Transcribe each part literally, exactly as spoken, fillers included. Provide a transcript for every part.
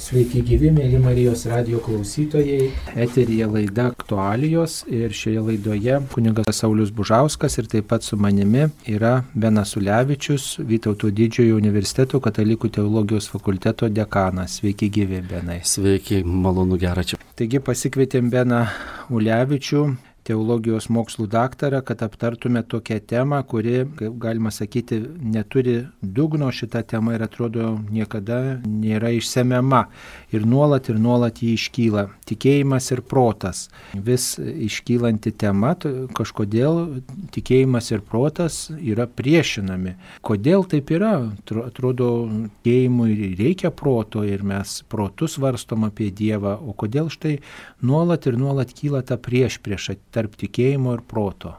Sveiki gyvi, mėly Marijos radijo klausytojai. Eteryje laida Aktualijos ir šioje laidoje kunigas Saulius Bužauskas ir taip pat su manimi yra Benas Ulevičius, Vytauto Didžiojo universiteto katalikų teologijos fakulteto dekanas. Sveiki gyvi, Benai. Sveiki, malonu, gera čia. Taigi pasikvietėm Beną Ulevičių, teologijos mokslų daktarą, kad aptartume tokią temą, kuri, kaip galima sakyti, neturi dugno. Šita tema ir atrodo niekada nėra išsemiama. Ir nuolat ir nuolat jį iškyla. Tikėjimas ir protas. Vis iškylanti tema, kažkodėl tikėjimas ir protas yra priešinami. Kodėl taip yra? Atrodo, tikėjimui reikia proto ir mes protus svarstom apie Dievą. O kodėl štai nuolat ir nuolat kyla ta priešprieša tarp tikėjimo ir proto?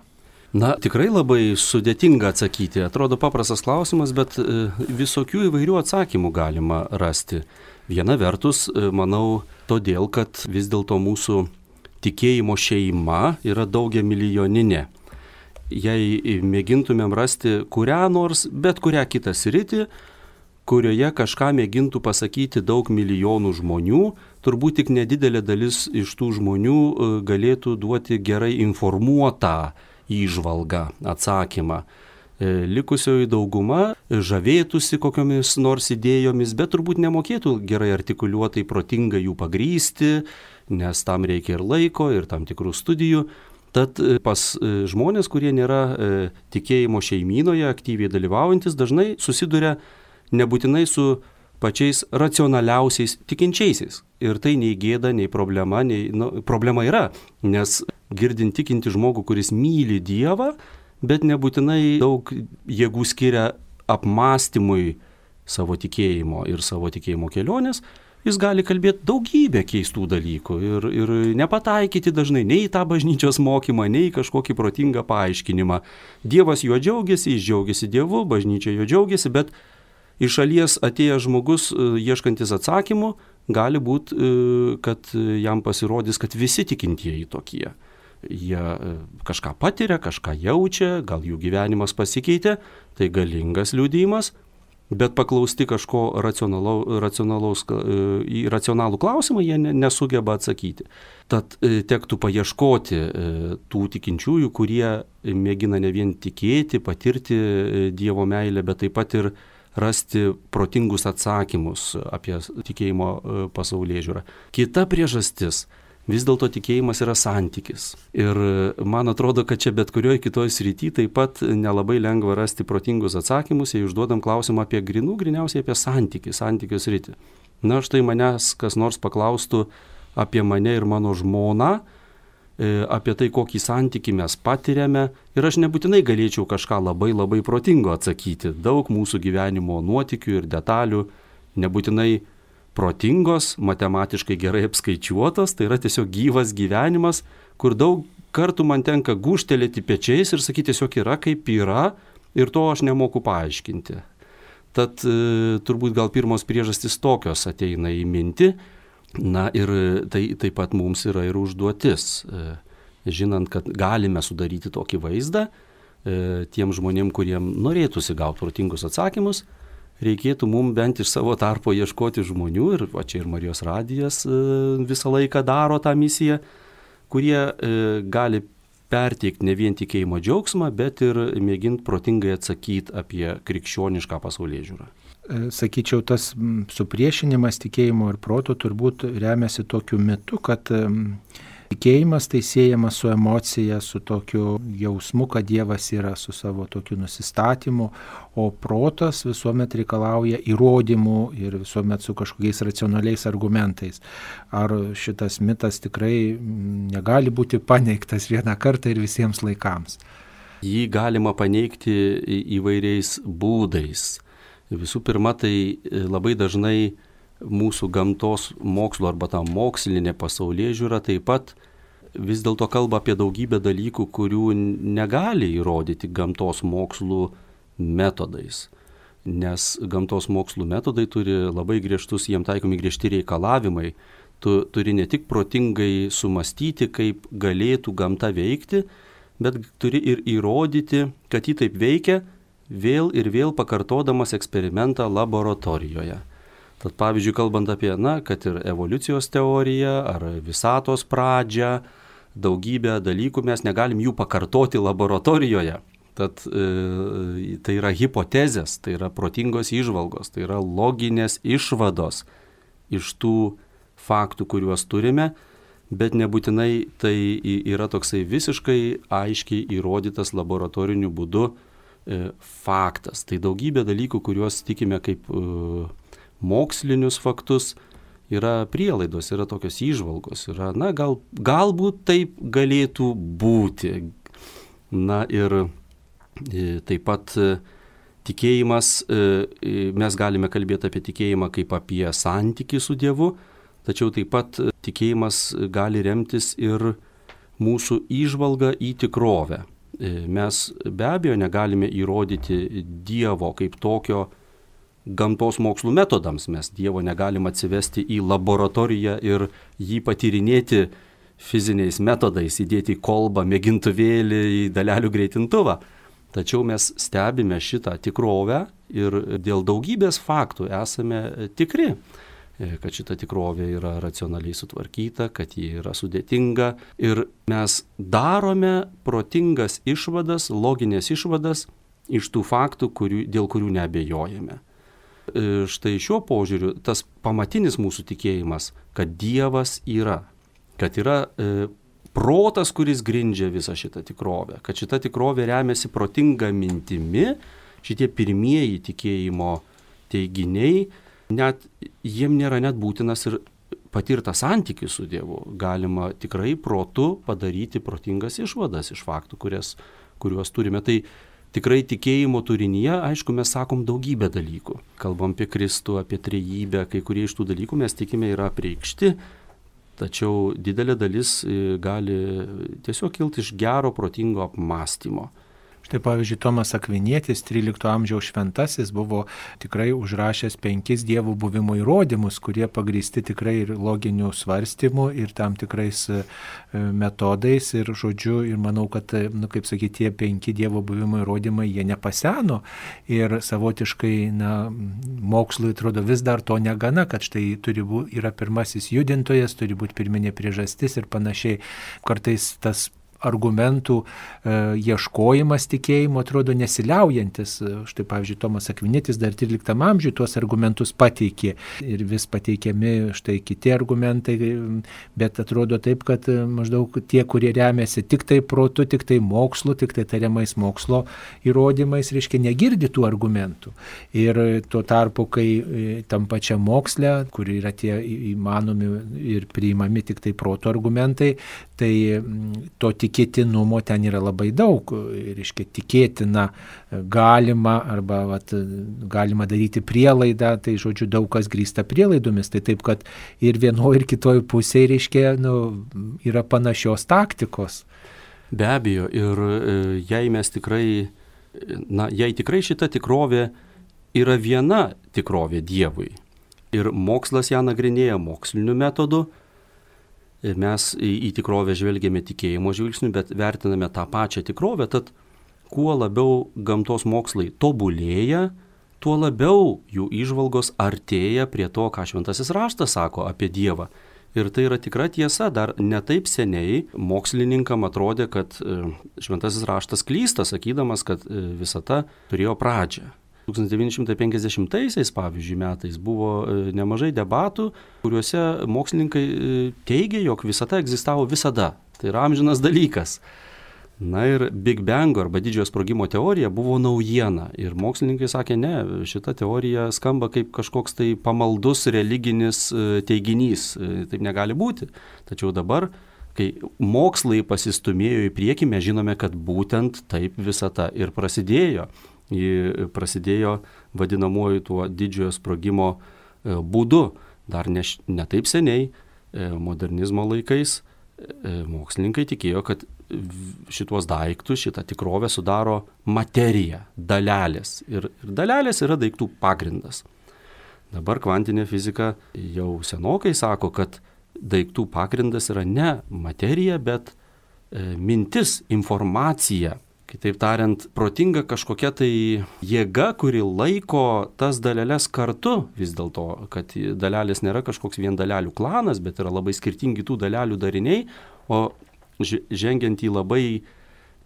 Na, tikrai labai sudėtinga atsakyti. Atrodo paprastas klausimas, bet visokių įvairių atsakymų galima rasti. Viena vertus, manau, todėl, kad vis dėlto mūsų tikėjimo šeima yra daugia milijoninė. Jei mėgintumėm rasti kurią nors, bet kurią kitą sritį, kurioje kažką mėgintų pasakyti daug milijonų žmonių, turbūt tik nedidelė dalis iš tų žmonių galėtų duoti gerai informuotą įžvalgą, atsakymą. Likusioji dauguma žavėtųsi kokiomis nors idėjomis, bet turbūt nemokėtų gerai artikuliuotai protingai jų pagrįsti, nes tam reikia ir laiko, ir tam tikrų studijų. Tad pas žmonės, kurie nėra tikėjimo šeimynoje aktyviai dalyvaujantis, dažnai susiduria nebūtinai su pačiais racionaliausiais tikinčiaisiais. Ir tai nei gėda, nei problema, nei, nu, problema yra, nes girdint tikinti žmogų, kuris myli Dievą, bet nebūtinai daug jėgų skiria apmąstymui savo tikėjimo ir savo tikėjimo kelionės, jis gali kalbėti daugybę keistų dalykų ir, ir nepataikyti dažnai nei į tą bažnyčios mokymą, nei į kažkokį protingą paaiškinimą. Dievas juo džiaugiasi, jis džiaugiasi Dievu, bažnyčia juo džiaugiasi, bet iš šalies atėjęs žmogus, ieškantis atsakymų, gali būti, kad jam pasirodys, kad visi tikintieji tokie. Jie kažką patiria, kažką jaučia, gal jų gyvenimas pasikeitė, tai galingas liudijimas, bet paklausti kažko racionalaus, racionalaus, į racionalų klausimą jie nesugeba atsakyti. Tad tektų paieškoti tų tikinčiųjų, kurie mėgina ne vien tikėti, patirti Dievo meilę, bet taip pat ir rasti protingus atsakymus apie tikėjimo pasaulėžiūrą. Kita priežastis, vis dėlto tikėjimas yra santykis. Ir man atrodo, kad čia bet kurioje kitoje srityje taip pat nelabai lengva rasti protingus atsakymus, jei užduodam klausimą apie grinų, griniausiai apie santykį, santykių sritį. Na, štai manęs kas nors paklaustų apie mane ir mano žmoną, apie tai, kokį santykį mes patiriame, ir aš nebūtinai galėčiau kažką labai labai protingo atsakyti. Daug mūsų gyvenimo nuotykių ir detalių nebūtinai protingos, matematiškai gerai apskaičiuotos, tai yra tiesiog gyvas gyvenimas, kur daug kartų man tenka gūžtelėti pečiais ir sakyti, tiesiog yra kaip yra, ir to aš nemoku paaiškinti. Tad e, turbūt gal pirmos priežastys tokios ateina į mintį. Na ir tai taip pat mums yra ir užduotis, žinant, kad galime sudaryti tokį vaizdą, tiem žmonėm, kuriem norėtųsi gauti protingus atsakymus, reikėtų mums bent iš savo tarpo ieškoti žmonių, ir va čia ir Marijos radijas visą laiką daro tą misiją, kurie gali perteikti ne vien tikėjimo džiaugsmą, bet ir mėginti protingai atsakyti apie krikščionišką pasaulėžiūrą. Sakyčiau, tas supriešinimas tikėjimo ir proto turbūt remiasi tokiu mitu, kad tikėjimas tai siejamas su emocija, su tokiu jausmu, kad Dievas yra, su savo tokiu nusistatymu, o protas visuomet reikalauja įrodymų ir visuomet su kažkokiais racionaliais argumentais. Ar šitas mitas tikrai negali būti paneigtas vieną kartą ir visiems laikams? Jį galima paneigti įvairiais būdais. Visų pirma, tai labai dažnai mūsų gamtos mokslo arba ta mokslinė pasaulėžiūra taip pat vis dėlto kalba apie daugybę dalykų, kurių negali įrodyti gamtos mokslų metodais. Nes gamtos mokslų metodai turi labai griežtus, jiem taikomi griežti reikalavimai. Tu turi ne tik protingai sumastyti, kaip galėtų gamta veikti, bet turi ir įrodyti, kad ji taip veikia, vėl ir vėl pakartodamas eksperimentą laboratorijoje. Tad pavyzdžiui, kalbant apie, na, kad ir evoliucijos teoriją ar visatos pradžią, daugybę dalykų mes negalim jų pakartoti laboratorijoje. Tad e, tai yra hipotezės, tai yra protingos įžvalgos, tai yra loginės išvados iš tų faktų, kuriuos turime, bet nebūtinai tai yra toksai visiškai aiškiai įrodytas laboratoriniu būdu e, faktas. Tai daugybė dalykų, kuriuos tikime kaip e, mokslinius faktus, yra prielaidos, yra tokios įžvalgos, yra, na, gal, galbūt taip galėtų būti. Na ir taip pat tikėjimas, mes galime kalbėti apie tikėjimą kaip apie santykį su Dievu, tačiau taip pat tikėjimas gali remtis ir mūsų įžvalga į tikrovę. Mes be abejo negalime įrodyti Dievo kaip tokio gamtos mokslų metodams, mes Dievo negalim atsivesti į laboratoriją ir jį patyrinėti fiziniais metodais, įdėti į kolbą, mėgintuvėlį, į dalelių greitintuvą. Tačiau mes stebime šitą tikrovę ir dėl daugybės faktų esame tikri, kad šita tikrovė yra racionaliai sutvarkyta, kad ji yra sudėtinga ir mes darome protingas išvadas, loginės išvadas iš tų faktų, kurių, dėl kurių neabejojame. Štai šiuo požiūriu tas pamatinis mūsų tikėjimas, kad Dievas yra, kad yra e, protas, kuris grindžia visą šitą tikrovę, kad šita tikrovė remiasi protinga mintimi, šitie pirmieji tikėjimo teiginiai, net jiem nėra net būtinas ir patirtas santykis su Dievu. Galima tikrai protu padaryti protingas išvadas iš faktų, kurias, kuriuos turime. Tai tikrai tikėjimo turinyje, aišku, mes sakom daugybę dalykų. Kalbam apie Kristų, apie trejybę, kai kurie iš tų dalykų mes tikime yra apreikšti, tačiau didelė dalis gali tiesiog kilti iš gero, protingo apmąstymo. Štai pavyzdžiui, Tomas Akvinietis, trylikto amžiaus šventasis, buvo tikrai užrašęs penkis Dievo buvimo įrodymus, kurie pagrįsti tikrai ir loginių svarstymų, ir tam tikrais metodais. Ir žodžiu, ir manau, kad, nu, kaip sakyti, tie penki Dievo buvimo įrodymai, jie nepaseno. Ir savotiškai, na, mokslui atrodo vis dar to negana, kad štai turi būti, yra pirmasis judintojas, turi būti pirminė priežastis ir panašiai. Kartais tas argumentų e, ieškojimas tikėjimo atrodo nesiliaujantis. Štai pavyzdžiui, Tomas Akvinietis dar tryliktam amžiui tuos argumentus pateikė ir vis pateikiami štai kiti argumentai, bet atrodo taip, kad maždaug tie, kurie remiasi tik tai protu, tik tai mokslu, tik tai tariamais mokslo įrodymais, reiškia, negirdi tų argumentų. Ir tuo tarpu, kai tam pačiam moksle, kur yra tie įmanomi ir priimami tik tai proto argumentai, tai to tikėtinumo ten yra labai daug. Reiškia, tikėtina galima arba vat, galima daryti prielaidą, tai žodžiu daug kas grįsta prielaidomis. Tai taip, kad ir vienoje ir kitoje pusėje, reiškia, nu, yra panašios taktikos. Be abejo, ir jei mes tikrai, na, jei tikrai šita tikrovė yra viena tikrovė Dievui ir mokslas ją nagrinėja moksliniu metodu, mes į, į tikrovę žvelgiame tikėjimo žvilgsniu, bet vertiname tą pačią tikrovę, tad kuo labiau gamtos mokslai tobulėja, tuo labiau jų įžvalgos artėja prie to, ką Šventasis raštas sako apie Dievą. Ir tai yra tikra tiesa, dar ne taip seniai mokslininkam atrodė, kad Šventasis raštas klysta, sakydamas, kad visata turėjo pradžią. tūkstantis devyni šimtai penkiasdešimtaisiais, pavyzdžiui, metais buvo nemažai debatų, kuriuose mokslininkai teigė, jog visata egzistavo visada. Tai yra amžinas dalykas. Na ir Big Bango arba didžiojo sprogimo teorija buvo naujiena. Ir mokslininkai sakė, ne, šita teorija skamba kaip kažkoks tai pamaldus religinis teiginys. Taip negali būti. Tačiau dabar, kai mokslai pasistumėjo į priekį, mes žinome, kad būtent taip visata ir prasidėjo. Ji prasidėjo vadinamuoju tuo didžiojo sprogimo būdu. Dar ne, ne taip seniai, modernizmo laikais, mokslininkai tikėjo, kad šituos daiktus, šitą tikrovę sudaro materija, dalelės. Ir, ir dalelės yra daiktų pagrindas. Dabar kvantinė fizika jau senokai sako, kad daiktų pagrindas yra ne materija, bet e, mintis, informacija. Kitaip tariant, protinga kažkokia tai jėga, kuri laiko tas daleles kartu, vis dėlto, kad dalelės nėra kažkoks vien dalelių klanas, bet yra labai skirtingi tų dalelių dariniai, o žengiant į labai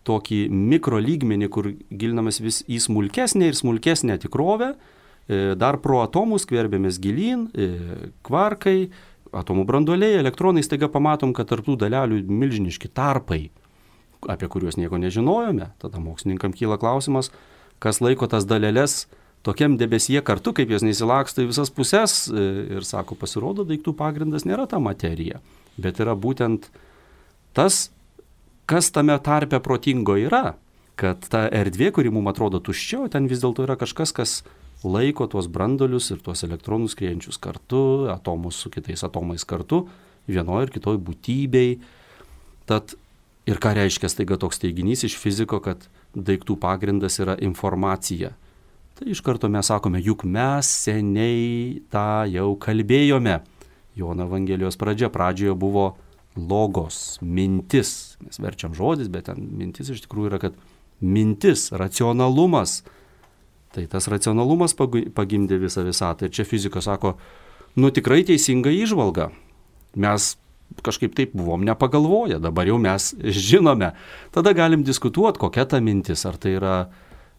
tokį mikro lygmenį, kur gilinamas vis į smulkesnę ir smulkesnę tikrovę, dar pro atomus skverbėmės gilyn, kvarkai, atomų branduoliai, elektronai, staiga pamatom, kad tarp tų dalelių milžiniški tarpai, apie kuriuos nieko nežinojome. Tada mokslininkam kyla klausimas, kas laiko tas daleles tokiam debesyje kartu, kaip jos neįsilaksto į visas puses, ir sako, pasirodo, daiktų pagrindas nėra ta materija, bet yra būtent tas, kas tame tarpe protingo yra, kad ta erdvė, kuri mums atrodo tuščia, ten vis dėlto yra kažkas, kas laiko tuos branduolius ir tuos elektronus skriejančius kartu, atomus su kitais atomais kartu, vienoje ir kitoje būtybei. Tad ir ką reiškia staiga toks teiginys iš fiziko, kad daiktų pagrindas yra informacija. Tai iš karto mes sakome, juk mes seniai tą jau kalbėjome. Jono Evangelijos pradžia, pradžioje buvo logos, mintis. Mes verčiam žodis, bet ten mintis iš tikrųjų yra, kad mintis, racionalumas. Tai tas racionalumas pagimdė visą visatą. Ir čia fizika sako, nu tikrai teisinga įžvalga. Mes kažkaip taip buvom nepagalvoję, dabar jau mes žinome. Tada galim diskutuoti, kokia ta mintis, ar tai yra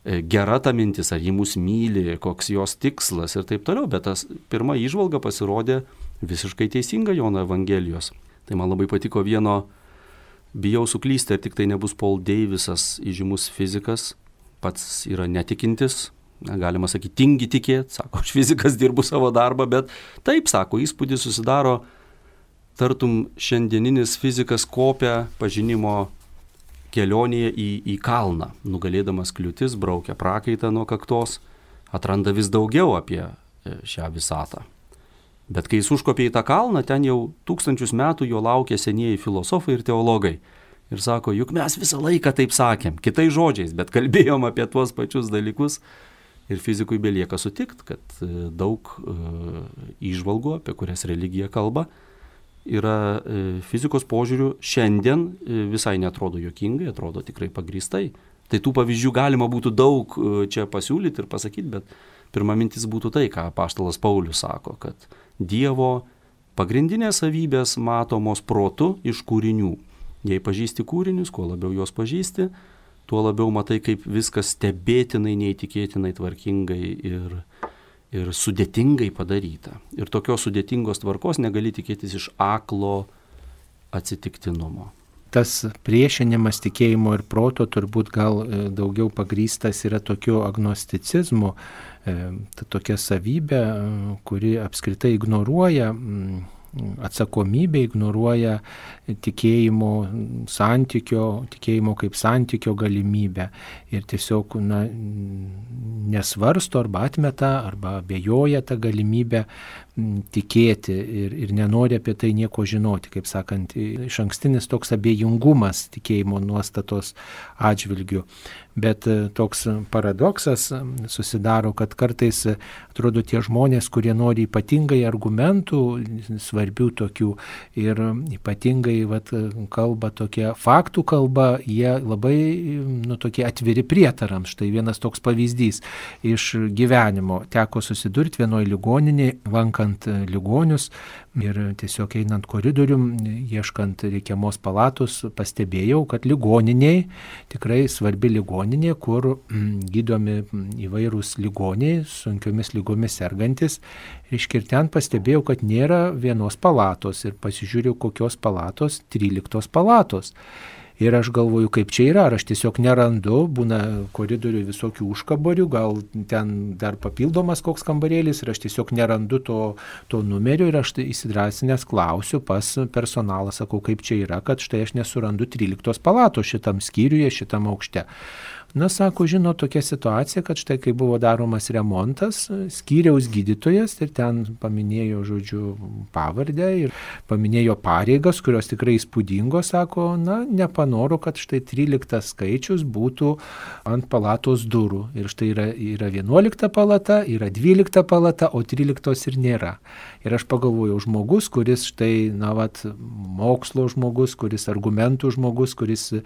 gera ta mintis, ar ji mus myli, koks jos tikslas ir taip toliau. Bet tas pirma įžvalga pasirodė visiškai teisinga Jono Evangelijos. Tai man labai patiko vieno, bijau suklysti, ar tik tai nebus Paul Davisas, įžymus fizikas, pats yra netikintis, galima sakyti, tingi tikėti, sako, aš fizikas dirbu savo darbą, bet taip, sako, įspūdis susidaro, tartum šiandieninis fizikas kopia pažinimo kelionėje į, į kalną, nugalėdamas kliūtis, braukia prakaitą nuo kaktos, atranda vis daugiau apie šią visatą. Bet kai jis užkopė į tą kalną, ten jau tūkstančius metų jo laukia senieji filosofai ir teologai. Ir sako, juk mes visą laiką taip sakėm, kitais žodžiais, bet kalbėjom apie tuos pačius dalykus. Ir fizikui belieka sutikti, kad daug e, įžvalgų, apie kurias religija kalba, yra fizikos požiūrių šiandien visai netrodo juokingai, atrodo tikrai pagrįstai. Tai tų pavyzdžių galima būtų daug čia pasiūlyti ir pasakyti, bet pirma mintis būtų tai, ką apaštalas Paulius sako, kad Dievo pagrindinės savybės matomos protu iš kūrinių. Jei pažįsti kūrinius, kuo labiau juos pažįsti, tuo labiau matai, kaip viskas stebėtinai, neįtikėtinai tvarkingai ir ir sudėtingai padaryta. Ir tokios sudėtingos tvarkos negali tikėtis iš aklo atsitiktinumo. Tas priešinimas tikėjimo ir proto turbūt gal daugiau pagrįstas yra tokiu agnosticizmu, ta tokia savybė, kuri apskritai ignoruoja atsakomybę, ignoruoja tikėjimo santykio, tikėjimo kaip santykio galimybę ir tiesiog na, nesvarsto arba atmeta arba abejoja tą galimybę tikėti ir, ir nenori apie tai nieko žinoti, kaip sakant, iš ankstinis toks abejingumas tikėjimo nuostatos atžvilgių. Bet toks paradoksas susidaro, kad kartais atrodo tie žmonės, kurie nori ypatingai argumentų, svarbių tokių ir ypatingai vat, kalba tokia faktų kalba, jie labai nu, tokie atviri prietarams. Štai vienas toks pavyzdys iš gyvenimo. Teko susidurti vienoje ligoninėje, lankant ligonius ir tiesiog einant koridorium, ieškant reikiamos palatos, pastebėjau, kad ligoniniai, tikrai svarbi ligoninė, kur gydomi įvairūs ligoniai, sunkiomis lygomis sergantis. Ir ten pastebėjau, kad nėra vienos palatos ir pasižiūrėjau, kokios palatos, tryliktos palatos. Ir aš galvoju, kaip čia yra, ar aš tiesiog nerandu, būna koridorių visokių užkaborių, gal ten dar papildomas koks kambarėlis ir aš tiesiog nerandu to, to numerio ir aš tai įsidrasinęs klausiu pas personalą, sakau, kaip čia yra, kad štai aš nesurandu tryliktos palatos šitam skyriuje, šitam aukšte. Na, sako, žino tokia situacija, kad štai kai buvo daromas remontas, skyriaus gydytojas ir ten paminėjo, žodžiu, pavardę ir paminėjo pareigas, kurios tikrai įspūdingos, sako, na, nepanoro, kad štai tryliktas skaičius būtų ant palatos durų. Ir štai yra, yra vienuolikta palata, yra dvylikta palata, o tryliktos ir nėra. Ir aš pagalvojau, žmogus, kuris štai, na, vat, mokslo žmogus, kuris argumentų žmogus, kuris e,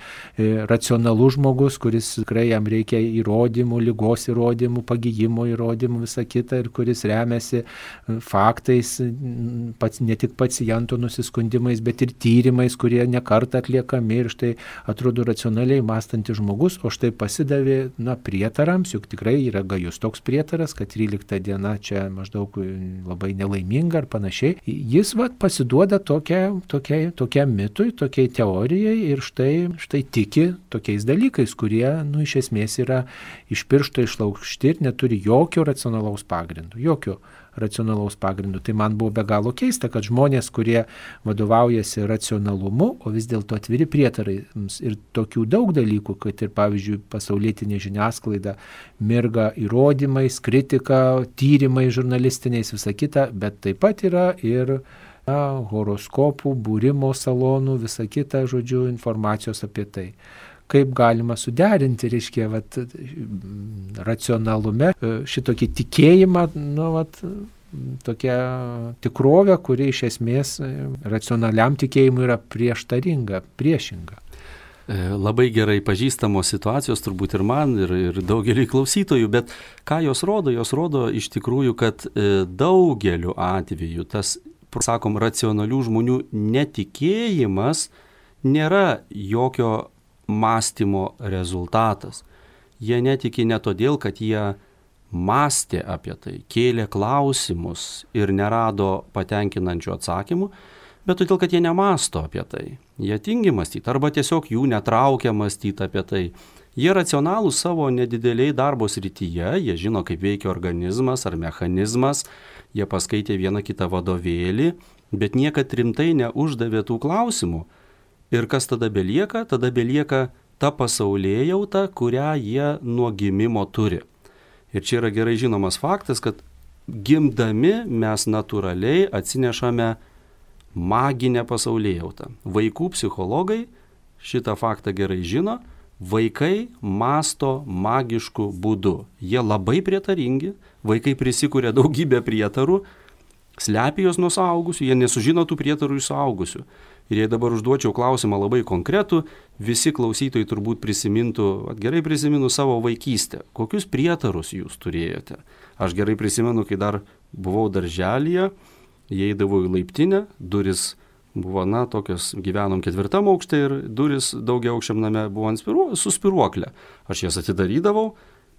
racionalus žmogus, kuris tikrai jam reikia įrodymų, lygos įrodymų, pagijimo įrodymų, visą kitą, ir kuris remiasi faktais, pats, ne tik paciento nusiskundimais, bet ir tyrimais, kurie nekartą atliekami, ir štai atrodo racionaliai mąstantis žmogus, o štai pasidavė, na, prietarams, juk tikrai yra gajus toks prietaras, kad trylikta diena čia maždaug labai nelaiminga ar panašiai. Jis vat pasiduoda tokia, tokia, tokiam mitui, tokiai teorijai ir štai, štai tiki tokiais dalykais, kurie, nu, iš esmės yra iš piršto išlaužti ir neturi jokio racionalaus pagrindo. Jokio racionalaus pagrindo. Tai man buvo be galo keista, kad žmonės, kurie vadovaujasi racionalumu, o vis dėlto atviri prietarai ir tokių daug dalykų, kad ir, pavyzdžiui, pasaulietinė žiniasklaida mirga įrodymais, kritika, tyrimais žurnalistiniais, visa kita, bet taip pat yra ir na, horoskopų, būrimo salonų, visa kita, žodžiu, informacijos apie tai. Kaip galima suderinti, reiškia, vat, racionalume šitokį tikėjimą, nu, vat, tokia tikrovė, kuri iš esmės racionaliam tikėjimui yra prieštaringa, priešinga. Labai gerai pažįstamos situacijos turbūt ir man, ir, ir daugeliui klausytojų, bet ką jos rodo? Jos rodo iš tikrųjų, kad daugeliu atveju tas, sakom, racionalių žmonių netikėjimas nėra jokio mąstymo rezultatas. Jie netiki ne todėl, kad jie mąstė apie tai, kėlė klausimus ir nerado patenkinančių atsakymų, bet todėl, kad jie nemąsto apie tai. Jie tingi mąstyti arba tiesiog jų netraukia mąstyti apie tai. Jie racionalūs savo nedideliai darbo srityje, jie žino, kaip veikia organizmas ar mechanizmas, jie paskaitė vieną kitą vadovėlį, bet niekad rimtai neuždavė tų klausimų. Ir kas tada belieka? Tada belieka ta pasaulėjauta, kurią jie nuo gimimo turi. Ir čia yra gerai žinomas faktas, kad gimdami mes natūraliai atsinešame maginę pasaulėjautą. Vaikų psichologai šitą faktą gerai žino, vaikai mąsto magišku būdu. Jie labai prietaringi, vaikai prisikuria daugybę prietarų, slepia juos nuo suaugusių, jie nesužino tų prietarų iš suaugusių. Ir jei dabar užduočiau klausimą labai konkretų, visi klausytojai turbūt prisimintų, gerai prisimenu savo vaikystę. Kokius prietarus jūs turėjote? Aš gerai prisimenu, kai dar buvau darželyje, įeidavau į laiptinę, duris buvo, na, tokios, gyvenom ketvirtam aukšte ir duris daugiaaukščiam name buvo ant spiru, su spiruoklė. Aš jas atidarydavau,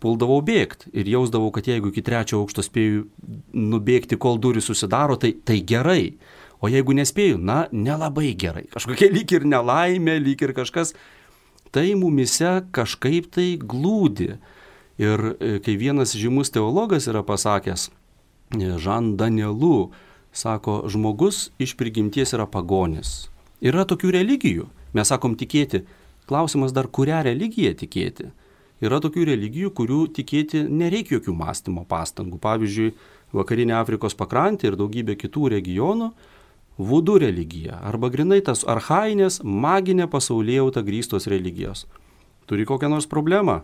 puldavau bėgti ir jausdavau, kad jeigu iki trečio aukšto spėju nubėgti, kol durys susidaro, tai, tai gerai. O jeigu nespėju, na, nelabai gerai. Kažkokia lyg ir nelaimė, lyg ir kažkas. Tai mumise kažkaip tai glūdi. Ir kai vienas žymus teologas yra pasakęs, Žan Danielu, sako, žmogus iš prigimties yra pagonis. Yra tokių religijų. Mes sakom tikėti. Klausimas dar, kurią religiją tikėti. Yra tokių religijų, kurių tikėti nereikia jokių mąstymo pastangų. Pavyzdžiui, vakarinė Afrikos pakrantė ir daugybė kitų regionų, vudu religija arba grinai tas archainės maginė pasaulėjauta grįstos religijos. Turi kokią nors problemą?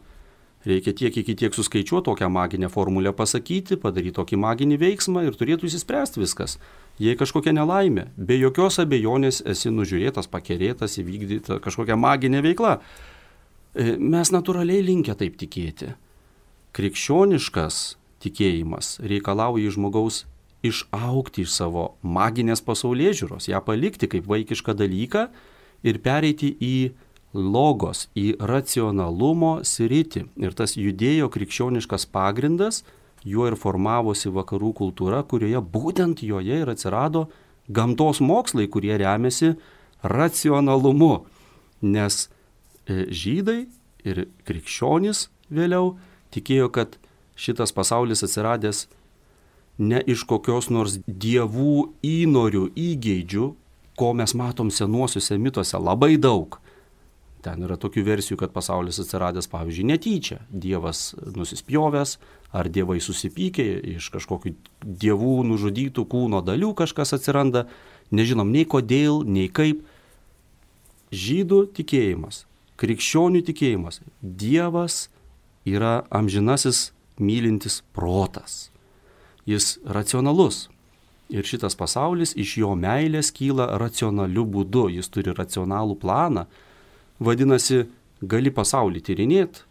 Reikia tiek iki tiek suskaičiuoti tokią maginę formulę pasakyti, padaryti tokį maginį veiksmą ir turėtų įsispręsti viskas. Jei kažkokia nelaimė, be jokios abejonės esi nužiūrėtas, pakerėtas, įvykdyta kažkokia maginė veikla. Mes natūraliai linkę taip tikėti. Krikščioniškas tikėjimas reikalauja iš žmogaus išaugti iš savo maginės pasaulėžiūros, ją palikti kaip vaikišką dalyką ir pereiti į logos, į racionalumo sritį. Ir tas judėjo krikščioniškas pagrindas, juo ir formavosi vakarų kultūra, kurioje būtent joje ir atsirado gamtos mokslai, kurie remiasi racionalumu. Nes žydai ir krikščionys vėliau tikėjo, kad šitas pasaulis atsiradęs ne iš kokios nors dievų įnorių, įgeidžių, ko mes matom senuosiuose mituose labai daug. Ten yra tokių versijų, kad pasaulis atsiradęs, pavyzdžiui, netyčia. Dievas nusispjovęs, ar dievai susipykė, iš kažkokių dievų nužudytų kūno dalių kažkas atsiranda. Nežinom nei kodėl, nei kaip. Žydų tikėjimas, krikščionių tikėjimas. Dievas yra amžinasis mylintis protas. Jis racionalus. Ir šitas pasaulis iš jo meilės kyla racionaliu būdu. Jis turi racionalų planą. Vadinasi, gali pasaulį tyrinėti,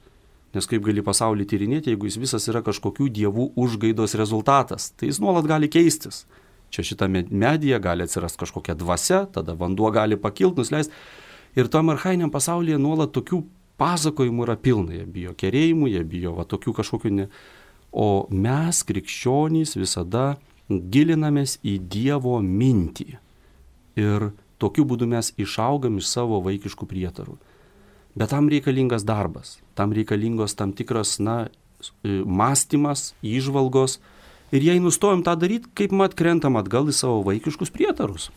nes kaip gali pasaulį tyrinėti, jeigu jis visas yra kažkokių dievų užgaidos rezultatas, tai jis nuolat gali keistis. Čia šitame medyje gali atsirasti kažkokia dvasia, tada vanduo gali pakilti, nusileisti. Ir tam archainiam pasaulyje nuolat tokių pasakojimų yra pilna. Jie bijo kerėjimų, jie bijo va, tokių kažkokių ne. O mes, krikščionys, visada gilinamės į Dievo mintį. Ir tokiu būdu mes išaugam iš savo vaikiškų prietarų. Bet tam reikalingas darbas, tam reikalingos tam tikras, na, mąstymas, įžvalgos. Ir jei nustojom tą daryti, kaip mat krentam atgal į savo vaikiškus prietarus.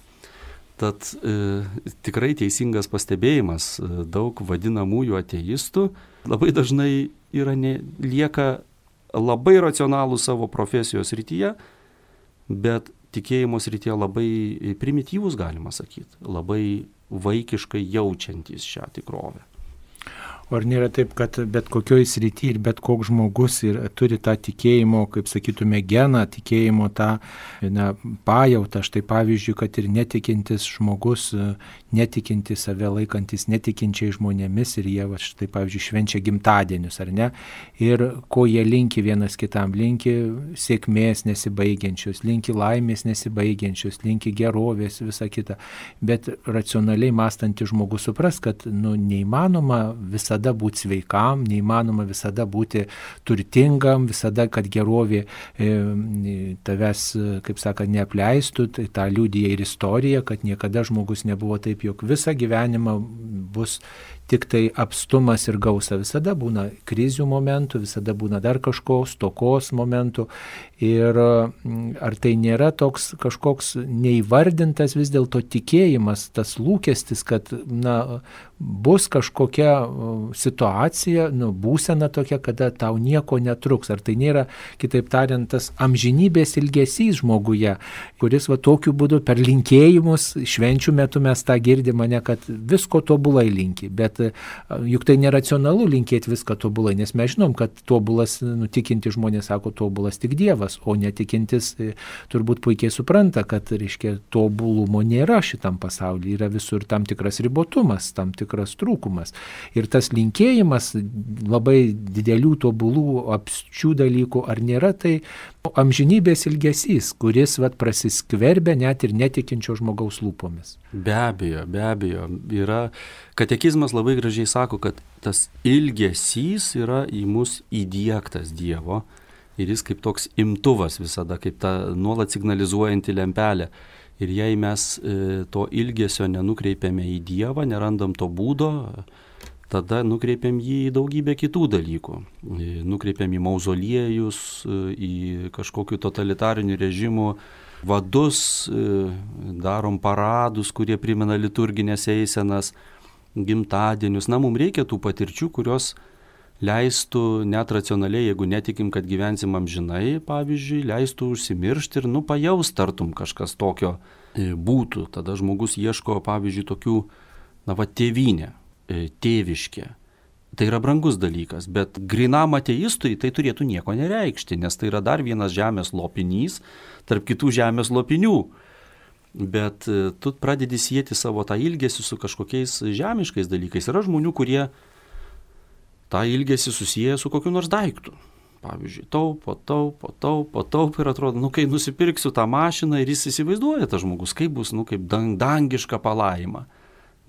Tad e, tikrai teisingas pastebėjimas, daug vadinamųjų ateistų labai dažnai yra ne, lieka labai racionalų savo profesijos rytyje, bet tikėjimo srityje labai primityvus, galima sakyti, labai vaikiškai jaučiantys šią tikrovę. O ar nėra taip, kad bet kokioj srity ir bet koks žmogus ir turi tą tikėjimo, kaip sakytume, geną, tikėjimo tą na, pajautą, štai pavyzdžiui, kad ir netikintis žmogus, netikintis save laikantis netikinčiai žmonėmis ir jie, va, štai pavyzdžiui, švenčia gimtadienius, ar ne? Ir ko jie linki vienas kitam, linki sėkmės nesibaigiančius, linki laimės nesibaigiančius, linki gerovės, visa kita. Bet racionaliai mąstantis žmogus supras, kad nu, neįmanoma visada būti sveikam, neįmanoma visada būti turtingam, visada, kad gerovė e, tavęs, kaip saka, neapleistų, tai tą liudija ir istorija, kad niekada žmogus nebuvo taip, jog visą gyvenimą bus tik tai apstumas ir gausa. Visada būna krizių momentų, visada būna dar kažko, stokos momentų. Ir ar tai nėra toks kažkoks neįvardintas vis dėlto tikėjimas, tas lūkestis, kad na, bus kažkokia situacija, nu, būsena tokia, kada tau nieko netruks. Ar tai nėra, kitaip tariant, tas amžinybės ilgesys žmoguje, kuris va tokiu būdu per linkėjimus, švenčių metu mes tą girdim, ne, kad visko tobulai linki, bet juk tai neracionalu linkėti viską tobulai, nes mes žinom, kad tobulas, nutikinti žmonės sako, tobulas tik Dievas, o netikintis turbūt puikiai supranta, kad, reiškia, tobulumo nėra šitam pasaulyje, yra visur tam tikras ribotumas, tam tikras trūkumas. Ir tas linkėjimas labai didelių tobulų apsčių dalykų, ar nėra tai amžinybės ilgesys, kuris vat, prasiskverbia net ir netikinčio žmogaus lūpomis. Be abejo, be abejo. Yra, katekizmas labai gražiai sako, kad tas ilgesys yra į mus įdiegtas Dievo ir jis kaip toks imtuvas visada, kaip ta nuolat signalizuojanti lempelė. Ir jei mes e, to ilgesio nenukreipiame į Dievą, nerandam to būdo, tada nukreipiam jį į daugybę kitų dalykų. Nukreipiam į mauzoliejus, į kažkokių totalitarinių režimų vadus, darom paradus, kurie primena liturginės eisenas, gimtadienius. Na, mums reikia tų patirčių, kurios leistų net racionaliai, jeigu netikim, kad gyvensim amžinai, pavyzdžiui, leistų užsimiršti ir nu pajaust tartum kažkas tokio būtų. Tada žmogus ieško, pavyzdžiui, tokių, na va, tėvynė. Tėviškė. Tai yra brangus dalykas, bet grinam ateistui tai turėtų nieko nereikšti, nes tai yra dar vienas žemės lopinys tarp kitų žemės lopinių. Bet tu pradedi sieti savo tą ilgesį su kažkokiais žemiškais dalykais. Yra žmonių, kurie tą ilgesį susiję su kokiu nors daiktu. Pavyzdžiui, taupo, taupo, taupo, taupo ir atrodo, nu kai nusipirksiu tą mašiną ir jis įsivaizduoja tas žmogus, kaip bus, nu kaip dang, dangiška palaima.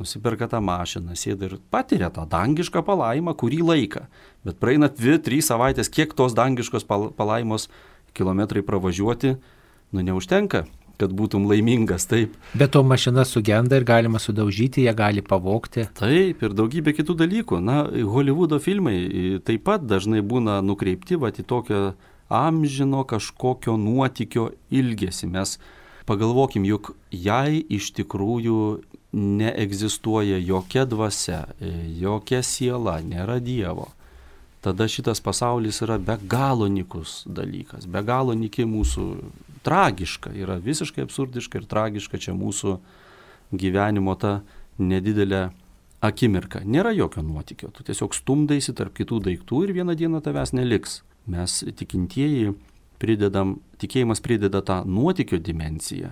Nusiperka tą mašiną, sėda ir patiria tą dangišką palaimą kurį laiką. Bet praeina dvi, trys savaitės, kiek tos dangiškos palaimos kilometrai pravažiuoti, nu neužtenka, kad būtum laimingas, taip. Bet to mašina sugenda ir galima sudaužyti, ją gali pavogti. Taip, ir daugybė kitų dalykų. Na, Holivudo filmai taip pat dažnai būna nukreipti vat, į tokio amžino kažkokio nuotykio ilgesį. Mes Pagalvokim, juk jei iš tikrųjų neegzistuoja jokia dvasia, jokia siela, nėra Dievo, tada šitas pasaulis yra be galo nykus dalykas, be galo nyki mūsų, tragiška, yra visiškai absurdiška ir tragiška čia mūsų gyvenimo ta nedidelė akimirka. Nėra jokio nuotykio, tu tiesiog stumdaisi tarp kitų daiktų ir vieną dieną tavęs neliks. Mes tikintieji pridedam, tikėjimas prideda tą nuotykio dimensiją,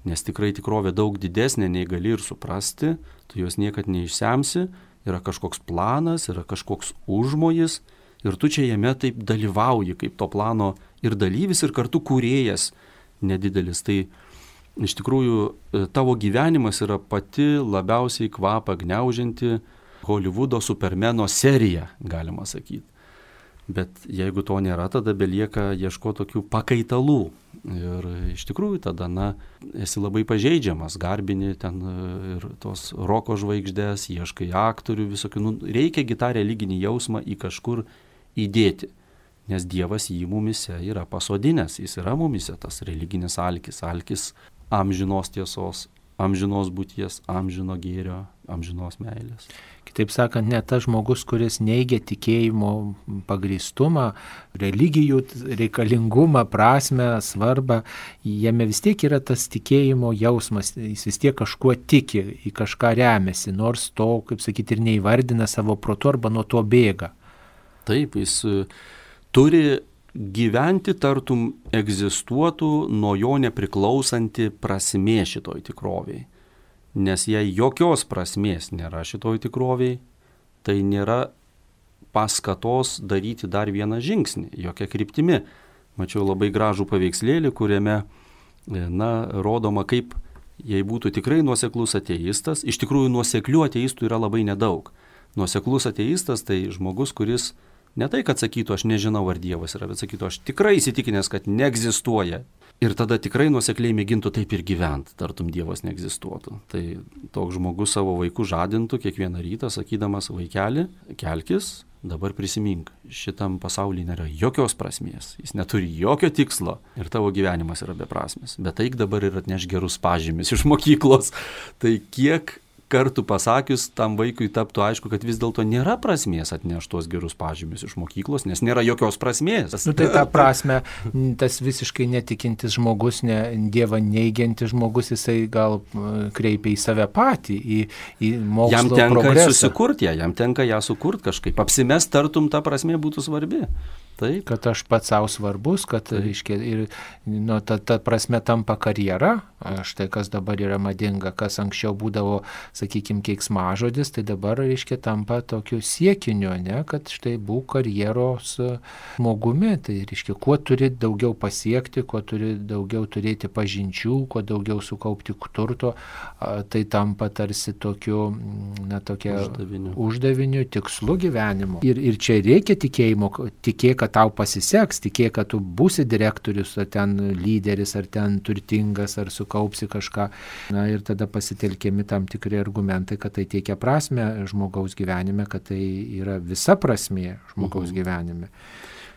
nes tikrai tikrovė daug didesnė nei gali ir suprasti, tu jos niekad neišsemsi, yra kažkoks planas, yra kažkoks užmojis ir tu čia jame taip dalyvauji kaip to plano ir dalyvis ir kartu kūrėjas nedidelis. Tai iš tikrųjų tavo gyvenimas yra pati labiausiai kvapą gniaužianti Holivudo supermeno serija, galima sakyti. Bet jeigu to nėra, tada belieka ieškoti tokių pakaitalų. Ir iš tikrųjų tada, na, esi labai pažeidžiamas, garbini ten ir tos roko žvaigždės, ieškai aktorių visokių. Nu, reikia tą religinį jausmą į kažkur įdėti, nes Dievas jį mumise yra pasodinęs, jis yra mumise tas religinis alkis, alkis amžinos tiesos, amžinos būties, amžino gėrio, amžinos meilės. Kitaip sakant, ne tas žmogus, kuris neigia tikėjimo pagrįstumą, religijų reikalingumą, prasmę, svarbą, jame vis tiek yra tas tikėjimo jausmas, jis vis tiek kažkuo tiki, į kažką remiasi, nors to, kaip sakyti, ir neįvardina savo protu arba nuo to bėga. Taip, jis turi gyventi tartum egzistuotų nuo jo nepriklausanti prasmė šitoj tikroviai. Nes jei jokios prasmės nėra šitoj tikroviai, tai nėra paskatos daryti dar vieną žingsnį, jokia kryptimi. Mačiau labai gražų paveikslėlį, kuriame, na, rodoma, kaip jei būtų tikrai nuoseklus ateistas, iš tikrųjų nuoseklių ateistų yra labai nedaug. Nuoseklus ateistas tai žmogus, kuris ne tai, kad sakytų, aš nežinau, ar Dievas yra, bet sakytų, aš tikrai įsitikinęs, kad neegzistuoja. Ir tada tikrai nuosekliai mėgintų taip ir gyventi, tartum Dievas neegzistuotų. Tai toks žmogus savo vaikų žadintų kiekvieną rytą, sakydamas, vaikeli, kelkis, dabar prisimink, šitam pasaulyje nėra jokios prasmės, jis neturi jokio tikslo ir tavo gyvenimas yra beprasmis. Bet eik dabar ir atneš gerus pažymius iš mokyklos. Tai kiek kartų pasakius, tam vaikui taptų aišku, kad vis dėlto nėra prasmės atnešti tuos gerus pažymius iš mokyklos, nes nėra jokios prasmės. Nu, tai tą prasme, tas visiškai netikintis žmogus, ne, Dievą neigiantis žmogus, jisai gal kreipia į save patį, į, į mokslo jam tenka progresą. Susikurti ją, jam tenka ją sukurti kažkaip, apsimest tartum ta prasmė būtų svarbi. Taip. Kad aš pats savo svarbus, kad reiškia, ir nu, ta, ta prasme tampa karjera, štai kas dabar yra madinga, kas anksčiau būdavo, sakykime, keiksmažodis, tai dabar, reiškia, tampa tokiu siekiniu, ne, kad štai būk karjeros žmogumi, tai reiškia, kuo turi daugiau pasiekti, kuo turi daugiau turėti pažinčių, kuo daugiau sukaupti turto, tai tampa tarsi tokiu, na, tokia uždaviniu, uždaviniu tikslu gyvenimo. Ir, ir čia reikia tikėjimo, tikėk, kad tau pasiseks, tikėk, kad tu būsi direktorius, ar ten lyderis, ar ten turtingas, ar sukaupsi kažką. Na ir tada pasitelkiami tam tikri argumentai, kad tai teikia prasmę žmogaus gyvenime, kad tai yra visa prasmė žmogaus mhm. gyvenime.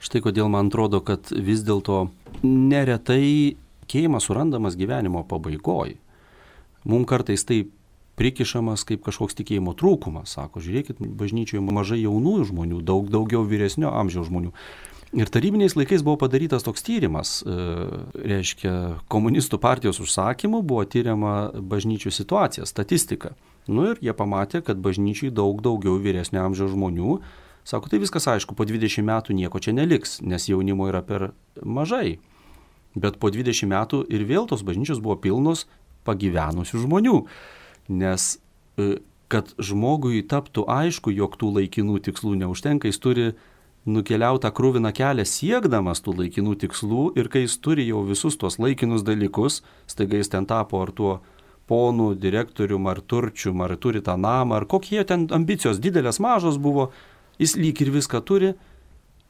Štai kodėl man atrodo, kad vis dėlto neretai tikėjimas surandamas gyvenimo pabaigoj. Mums kartais tai prikišamas kaip kažkoks tikėjimo trūkumas. Sako, žiūrėkit, bažnyčioje mažai jaunų žmonių, daug daugiau vyresnio amžiaus žmonių. Ir tarybiniais laikais buvo padarytas toks tyrimas, e, reiškia, komunistų partijos užsakymu buvo tyriama bažnyčių situacija, statistika. Nu ir jie pamatė, kad bažnyčiai daug daugiau vyresnio amžiaus žmonių. Sako, tai viskas aišku, po dvidešimt metų nieko čia neliks, nes jaunimo yra per mažai. Bet po dvidešimt metų ir vėl tos bažnyčios buvo pilnos pagyvenusių žmonių. Nes kad žmogui taptų aišku, jog tų laikinų tikslų neužtenka, jis turi nukeliauti tą kruviną kelią siekdamas tų laikinų tikslų ir kai jis turi jau visus tuos laikinus dalykus, staiga jis ten tapo ar tuo ponu, direktorium, ar turčium, ar turi tą namą, ar kokie ten ambicijos didelės mažos buvo, jis lyg ir viską turi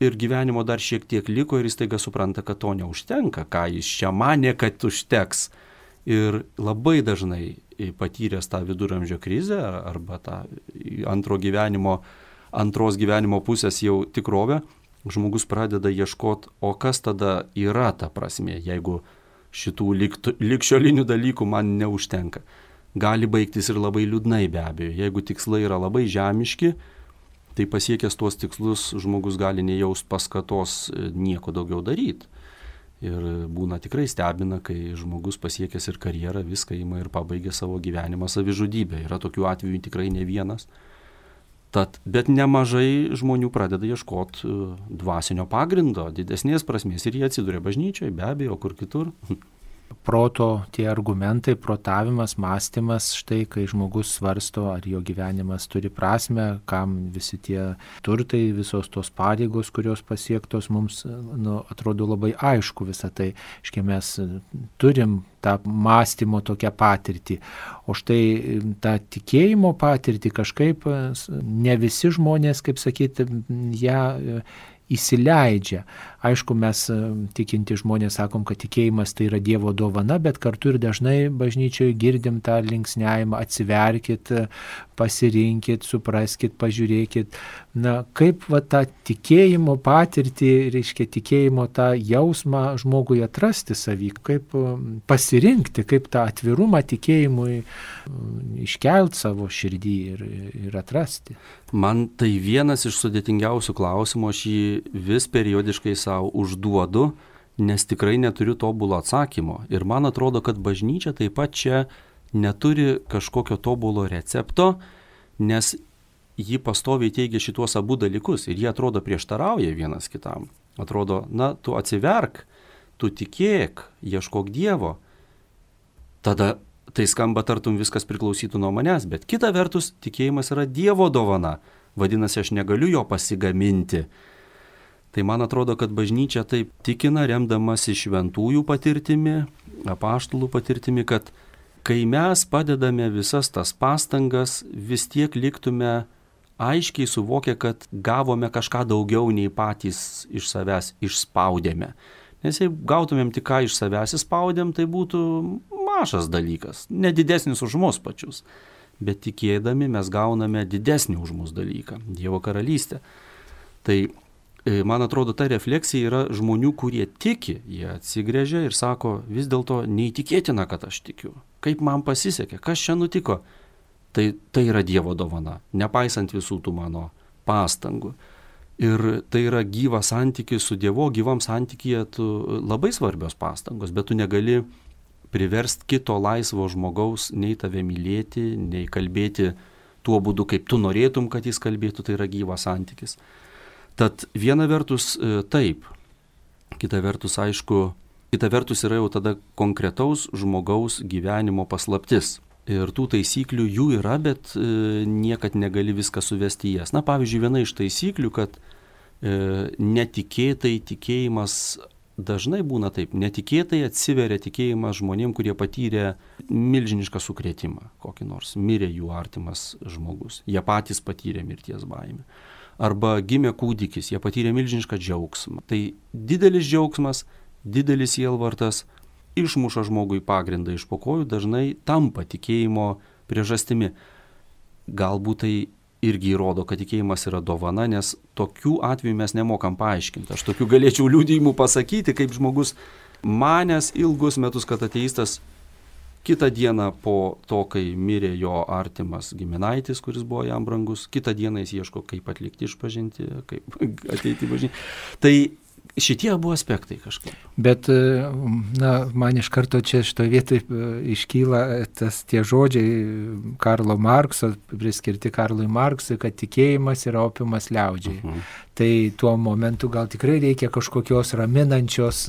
ir gyvenimo dar šiek tiek liko ir jis staiga supranta, kad to neužtenka, ką jis čia manė, kad užteks. Ir labai dažnai patyręs tą viduramžio krizę arba tą antro gyvenimo, antros gyvenimo pusės jau tikrovę, žmogus pradeda ieškoti, o kas tada yra ta prasmė, jeigu šitų ligšiolinių dalykų man neužtenka. Gali baigtis ir labai liūdnai be abejo. Jeigu tikslai yra labai žemiški, tai pasiekęs tuos tikslus žmogus gali nejaust paskatos nieko daugiau daryti. Ir būna tikrai stebina, kai žmogus pasiekęs ir karjerą viską ima ir pabaigia savo gyvenimą savižudybę. Yra tokių atvejų tikrai ne vienas. Tad, bet nemažai žmonių pradeda ieškoti dvasinio pagrindo, didesnės prasmės ir jie atsiduria bažnyčioje, be abejo, kur kitur. Proto tie argumentai, protavimas, mąstymas, štai kai žmogus svarsto, ar jo gyvenimas turi prasmę, kam visi tie turtai, visos tos pareigos, kurios pasiektos, mums nu, atrodo labai aišku visą tai. Iškia mes turim tą mąstymo tokią patirtį. O štai tą tikėjimo patirtį kažkaip ne visi žmonės, kaip sakyti, ją įsileidžia. Aišku, mes tikinti žmonės sakom, kad tikėjimas tai yra Dievo dovana, bet kartu ir dažnai bažnyčioje girdim tą linksniavimą, atsiverkit, pasirinkit, supraskit, pažiūrėkit. Na, kaip va tą tikėjimo patirtį, reiškia tikėjimo tą jausmą žmogui atrasti savy, kaip pasirinkti, kaip tą atvirumą tikėjimui iškelt savo širdį ir, ir atrasti. Man tai vienas iš sudėtingiausių klausimų, aš jį vis periodiškai savo užduodu, nes tikrai neturiu tobulo atsakymo. Ir man atrodo, kad bažnyčia taip pat čia neturi kažkokio tobulo recepto, nes ji pastoviai teigia šituos abu dalykus ir jie atrodo prieštarauja vienas kitam. Atrodo, na, tu atsiverk, tu tikėk, ieškok Dievo. Tada tai skamba tartum viskas priklausytų nuo manęs, bet kita vertus tikėjimas yra Dievo dovana. Vadinasi, aš negaliu jo pasigaminti. Tai man atrodo, kad bažnyčia taip tikina, remdamasi šventųjų patirtimi, apaštalų patirtimi, kad kai mes padedame visas tas pastangas, vis tiek liktume aiškiai suvokę, kad gavome kažką daugiau nei patys iš savęs išspaudėme. Nes jei gautumėm tik ką iš savęs išspaudėm, tai būtų mažas dalykas, nedidesnis už mus pačius. Bet tikėdami mes gauname didesnį už mus dalyką, Dievo karalystę. Tai man atrodo, ta refleksija yra žmonių, kurie tiki, jie atsigręžia ir sako, vis dėlto neįtikėtina, kad aš tikiu. Kaip man pasisekė, kas čia nutiko? Tai, tai yra Dievo dovana, nepaisant visų tų mano pastangų. Ir tai yra gyvas santykis su Dievu, gyvam santykyje tu labai svarbios pastangos, bet tu negali priversti kito laisvo žmogaus nei tave mylėti, nei kalbėti tuo būdu, kaip tu norėtum, kad jis kalbėtų, tai yra gyvas santykis. Tad viena vertus taip, kita vertus aišku, kita vertus yra jau tada konkretaus žmogaus gyvenimo paslaptis. Ir tų taisyklių jų yra, bet e, niekad negali viską suvesti į jas. Na, pavyzdžiui, viena iš taisyklių, kad e, netikėtai tikėjimas dažnai būna taip, netikėtai atsiveria tikėjimas žmonėm, kurie patyrė milžinišką sukrėtimą, kokį nors, mirė jų artimas žmogus, jie patys patyrė mirties baimę. Arba gimė kūdikis, jie patyrė milžinišką džiaugsmą. Tai didelis džiaugsmas, didelis sielvartas išmuša žmogui pagrindą iš po kojų, dažnai tampa tikėjimo priežastimi. Galbūt tai irgi įrodo, kad tikėjimas yra dovana, nes tokių atvejų mes nemokam paaiškinti. Aš tokių galėčiau liudijimų pasakyti, kaip žmogus manęs ilgus metus, kad ateistas, kitą dieną po to, kai mirė jo artimas giminaitis, kuris buvo jam brangus, kitą dieną jis ieško, kaip atlikti išpažinti, kaip ateiti į bažnyčią. Tai šitie abu aspektai kažkaip. Bet, na, man iš karto čia šitoje vietoje iškyla tas tie žodžiai Karlo Markso, priskirti Karlui Marksui, kad tikėjimas yra opiumas liaudžiai. Uh-huh. Tai tuo momentu gal tikrai reikia kažkokios raminančios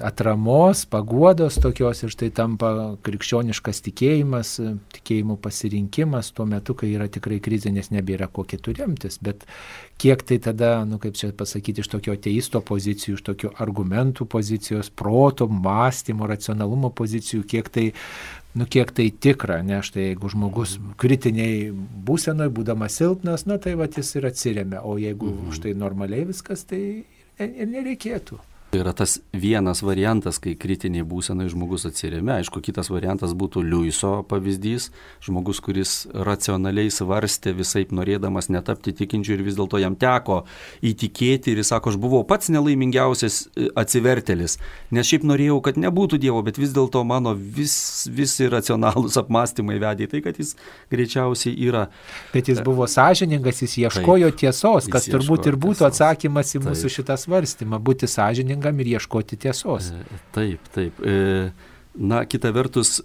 atramos, paguodos tokios ir štai tampa krikščioniškas tikėjimas, tikėjimų pasirinkimas tuo metu, kai yra tikrai krizė, nes nebėra ko kitų remtis. Bet kiek tai tada, nu kaip čia pasakyti, iš tokio ateisto pozicijų, iš tokio argumentų pozicijos, proto, mąstymo, racionalumo pozicijų, kiek tai, nu kiek tai tikra, ne, štai jeigu žmogus kritiniai būsenoj, būdamas silpnas, na tai va jis ir atsiremia, o jeigu mhm. štai normaliai viskas, tai ir nereikėtų. Yra tas vienas variantas, kai kritiniai būsenai žmogus atsiremia. Aišku, kitas variantas būtų Liuiso pavyzdys. Žmogus, kuris racionaliai svarstė visaip norėdamas netapti tikinčiu ir vis dėlto jam teko įtikėti ir jis sako, aš buvau pats nelaimingiausias atsivertėlis, nes šiaip norėjau, kad nebūtų Dievo, bet vis dėlto mano vis, visi racionalūs apmąstymai vedė į tai, kad jis greičiausiai yra. Bet jis buvo sąžiningas, jis ieškojo taip, tiesos, kas turbūt ir būtų tiesos. Atsakymas į taip. Mūsų šitą svarstymą, būti sąžiningam ir ieškoti tiesos. Taip, taip. Na, kita vertus,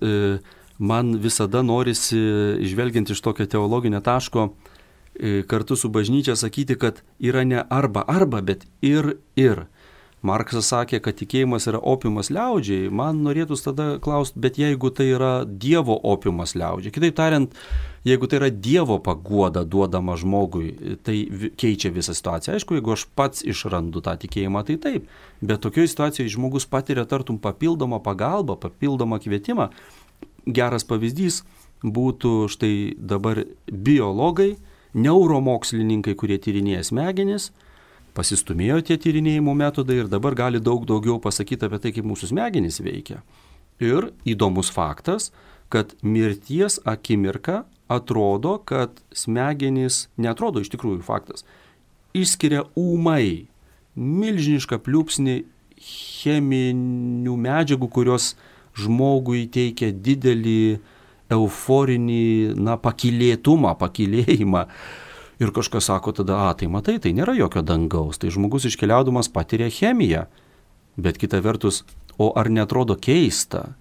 man visada norisi, žvelgiant iš tokio teologinio taško, kartu su bažnyčia sakyti, kad yra ne arba arba, bet ir ir. Marksas sakė, kad tikėjimas yra opiumas liaudžiai, man norėtųs tada klausti, bet jeigu tai yra Dievo opiumas liaudžiai, kitaip tariant, jeigu tai yra Dievo paguoda duodama žmogui, tai keičia visą situaciją. Aišku, jeigu aš pats išrandu tą tikėjimą, tai taip, bet tokioje situacijoje žmogus patiria tartum papildomą pagalbą, papildomą kvietimą. Geras pavyzdys būtų štai dabar biologai, neuromokslininkai, kurie tyrinėja smegenis, pasistumėjo tie tyrinėjimo metodai ir dabar gali daug daugiau pasakyti apie tai, kaip mūsų smegenys veikia. Ir įdomus faktas, kad mirties akimirka atrodo, kad smegenys, neatrodo iš tikrųjų faktas, išskiria ūmai milžinišką pliūpsnį cheminių medžiagų, kurios žmogui teikia didelį euforinį, na, pakylėtumą, pakylėjimą. Ir kažkas sako tada, a, tai matai, tai nėra jokio dangaus, tai žmogus iškeliaudamas patiria chemiją. Bet kita vertus, o ar netrodo keista,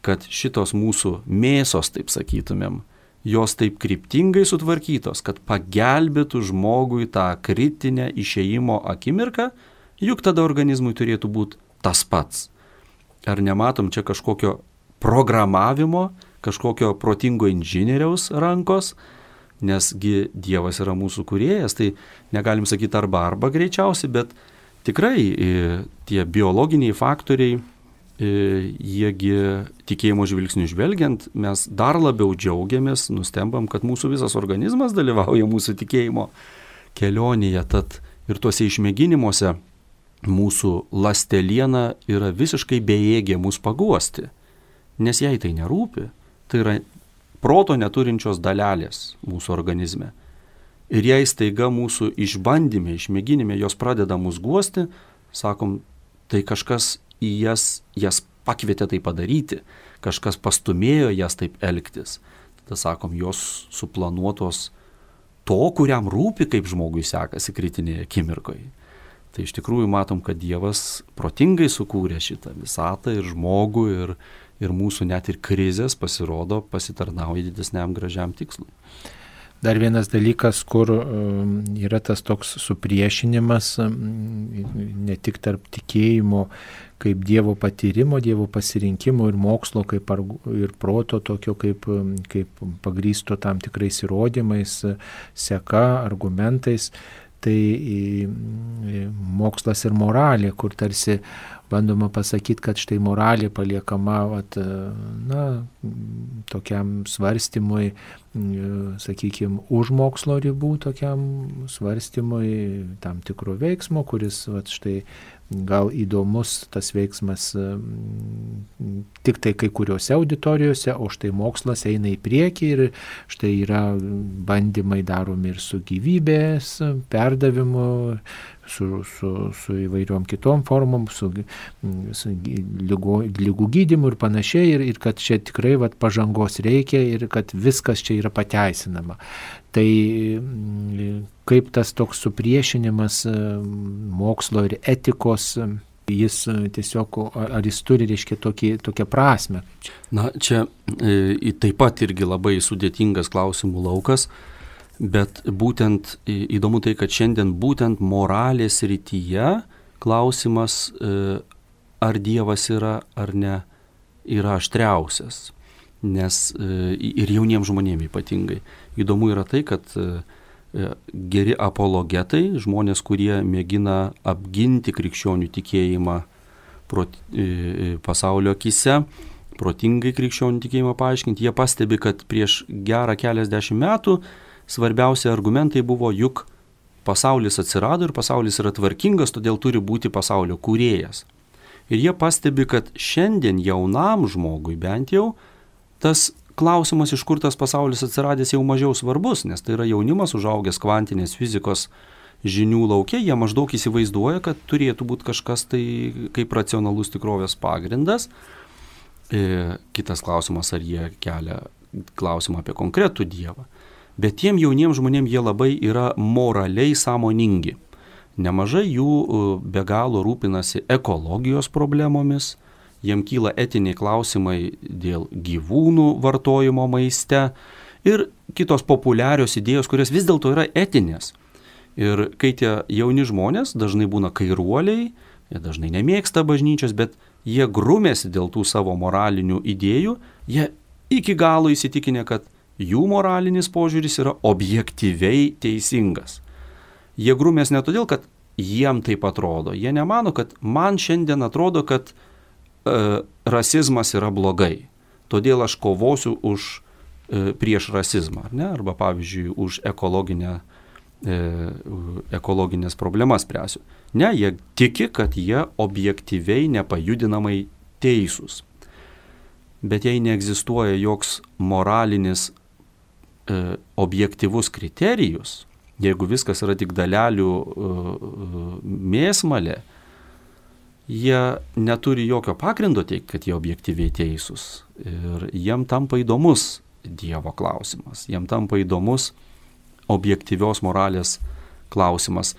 kad šitos mūsų mėsos, taip sakytumėm, jos taip kryptingai sutvarkytos, kad pagelbėtų žmogui tą kritinę išėjimo akimirką, juk tada organizmui turėtų būti tas pats. Ar nematom čia kažkokio programavimo, kažkokio protingo inžinieriaus rankos, nesgi Dievas yra mūsų kūrėjas, tai negalim sakyti arba arba greičiausiai, bet tikrai tie biologiniai faktoriai, jiegi tikėjimo žvilgsnių žvelgiant, mes dar labiau džiaugiamės, nustembam, kad mūsų visas organizmas dalyvauja mūsų tikėjimo kelionėje, tad ir tuose išmėginimuose mūsų ląsteliena yra visiškai bejėgė mus paguosti, nes jai tai nerūpi, tai yra proto neturinčios dalelės mūsų organizme. Ir jei staiga mūsų išbandyme, išmėginime jos pradeda mus guosti, sakom, tai kažkas į jas, jas pakvietė tai padaryti, kažkas pastumėjo jas taip elgtis. Tada sakom, jos suplanuotos to, kuriam rūpi, kaip žmogui sekasi kritinėje akimirkoje. Tai iš tikrųjų matom, kad Dievas protingai sukūrė šitą visatą ir žmogų ir ir mūsų net ir krizės pasirodo pasitarnauja didesniam gražiam tikslui. Dar vienas dalykas, kur yra tas toks supriešinimas, ne tik tarp tikėjimo kaip Dievo patyrimo, Dievo pasirinkimo ir mokslo kaip ir proto tokio kaip, kaip pagrįsto tam tikrais įrodymais, seka, argumentais, tai mokslas ir moralė, kur tarsi bandoma pasakyti, kad štai moralė paliekama vat, na, tokiam svarstymui, sakykime, už mokslo ribų, tokiam svarstymui tam tikro veiksmo, kuris vat, štai gal įdomus tas veiksmas tik tai kai kuriuose auditorijose, o štai mokslas eina į priekį ir štai yra bandymai daromi ir su gyvybės perdavimu, su, su, su įvairiom kitom formom, su, su lygo, lygų gydymu ir panašiai, ir, ir kad čia tikrai vat, pažangos reikia ir kad viskas čia yra pateisinama. Tai kaip tas toks supriešinimas mokslo ir etikos, jis tiesiog, ar jis turi, reiškia, tokį, tokią prasme? Na, čia e, taip pat irgi labai sudėtingas klausimų laukas, bet būtent įdomu tai, kad šiandien būtent moralės rytyje klausimas, e, ar Dievas yra ar ne, yra aštriausias. Nes e, ir jauniems žmonėms ypatingai. Įdomu yra tai, kad e, geri apologetai, žmonės, kurie mėgina apginti krikščionių tikėjimą prot, e, pasaulio akise, protingai krikščionių tikėjimą paaiškinti, jie pastebi, kad prieš gerą keliasdešimt metų svarbiausi argumentai buvo, juk pasaulis atsirado ir pasaulis yra tvarkingas, todėl turi būti pasaulio kūrėjas. Ir jie pastebi, kad šiandien jaunam žmogui bent jau tas klausimas, iš kur tas pasaulis atsiradęs, jau mažiau svarbus, nes tai yra jaunimas užaugęs kvantinės fizikos žinių laukia, jie maždaug įsivaizduoja, kad turėtų būti kažkas tai kaip racionalus tikrovės pagrindas. E, kitas klausimas, ar jie kelia klausimą apie konkretų Dievą. Bet tiem jauniems žmonėms jie labai yra moraliai sąmoningi. Nemažai jų be galo rūpinasi ekologijos problemomis, jiem kyla etiniai klausimai dėl gyvūnų vartojimo maiste ir kitos populiarios idėjos, kurios vis dėlto yra etinės. Ir kai tie jauni žmonės dažnai būna kairuoliai, jie dažnai nemėgsta bažnyčios, bet jie grumėsi dėl tų savo moralinių idėjų, jie iki galo įsitikinę, kad jų moralinis požiūris yra objektyviai teisingas. Jie grumės ne todėl, kad jiem taip atrodo. Jie nemano, kad man šiandien atrodo, kad e, rasizmas yra blogai. Todėl aš kovosiu už, e, prieš rasizmą. Ar ne? Arba pavyzdžiui, už ekologinę, e, ekologinės problemas spręsiu. Ne, jie tiki, kad jie objektyviai nepajudinamai teisūs. Bet jei neegzistuoja joks moralinis e, objektyvus kriterijus, jeigu viskas yra tik dalelių e, mėsmalė, jie neturi jokio pagrindo teikti, kad jie objektyviai teisūs. Ir jiem tampa įdomus Dievo klausimas, jiem tampa įdomus objektyvios moralės klausimas.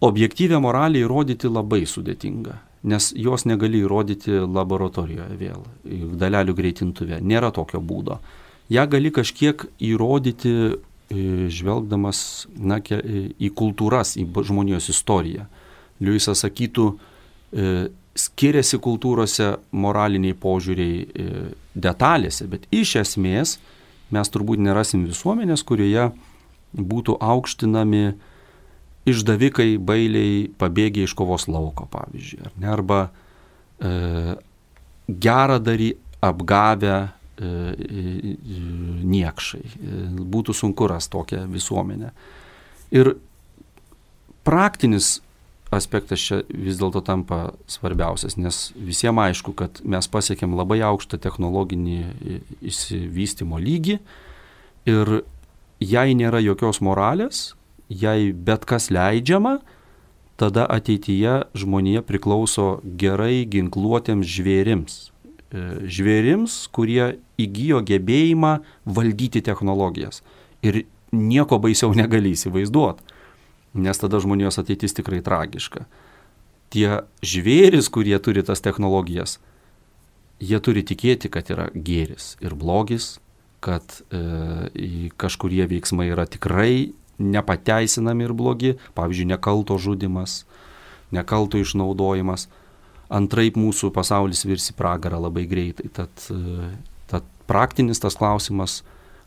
Objektyvę moralę įrodyti labai sudėtinga, nes jos negali įrodyti laboratorijoje vėl, dalelių greitintuvė, nėra tokio būdo. Ja gali kažkiek įrodyti žvelgdamas na, į kultūras, į žmonijos istoriją. Liujisas sakytų, skiriasi kultūrose moraliniai požiūriai detalėse, bet iš esmės mes turbūt nerasim visuomenės, kurioje būtų aukštinami išdavikai, bailiai, pabėgę iš kovos lauko, pavyzdžiui. Ar ne? Arba e, geradary apgavę e, niekšai. E, būtų sunku rasti tokią visuomenę. Ir praktinis aspektas čia vis dėlto tampa svarbiausias, nes visiems aišku, kad mes pasiekėm labai aukštą technologinį išsivystymo lygį ir jei nėra jokios moralės, jei bet kas leidžiama, tada ateityje žmonija priklauso gerai ginkluotiems žvėrims. Žvėrims, kurie įgijo gebėjimą valdyti technologijas. Ir nieko baisiau negali įsivaizduoti, nes tada žmonijos ateitis tikrai tragiška. Tie žvėris, kurie turi tas technologijas, jie turi tikėti, kad yra gėris ir blogis, kad e, kažkurie veiksmai yra tikrai nepateisinami ir blogi, pavyzdžiui, nekalto žudimas, nekalto išnaudojimas. Antraip mūsų pasaulis virs į pragarą labai greitai. Tad, tad praktinis tas klausimas,